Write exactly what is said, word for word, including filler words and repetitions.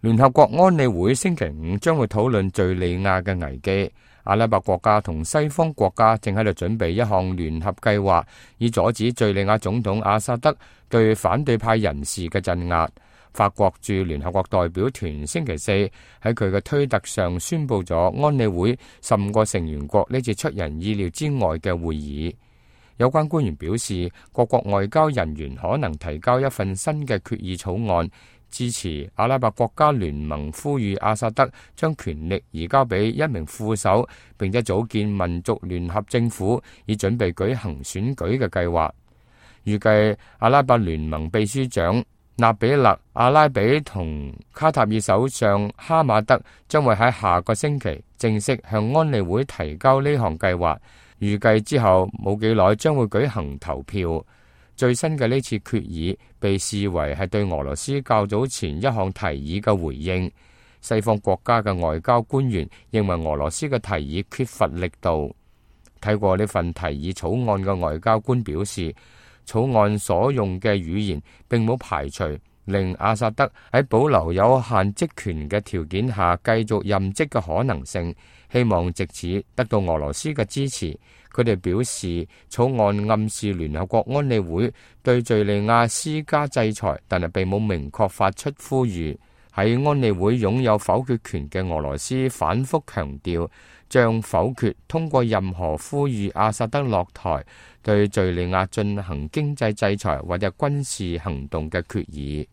聯合國安理會星期五將會討論敘利亞嘅危機。阿拉伯國家同西方國家正喺度準備一項聯合計劃，以阻止敘利亞總統阿薩德對反對派人士嘅鎮壓。法國駐聯合國代表團星期四喺佢嘅推特上宣布咗安理會十五個成員國呢次出人意料之外嘅會議。有關官員表示，各國外交人員可能提交一份新嘅決議草案，支持阿拉伯國家聯盟呼籲阿薩德將權力移交俾一名副手，並且組建民族聯合政府，以準備舉行選舉嘅計劃。預計阿拉伯聯盟秘書長納比勒阿拉比同卡塔爾首相哈馬德將會喺下個星期正式向安理會提交呢項計劃。預計之後冇幾耐將會舉行投票。最新嘅呢次決議被視為係對俄羅斯較早前一項提議嘅回應。西方國家嘅外交官員認為俄羅斯嘅提議缺乏力度。睇過呢份提議草案嘅外交官表示，草案所用嘅語言並冇排除令阿薩德喺保留有限職權嘅條件下繼續任職嘅可能性，希望藉此得到俄羅斯嘅支持。佢哋表示，草案暗示聯合國安理會對敘利亞施加制裁，但係並冇明確發出呼籲。喺安理會擁有否決權嘅俄羅斯反覆強調，將否決通過任何呼籲阿薩德落台、對敘利亞進行經濟制裁或者軍事行動嘅決議。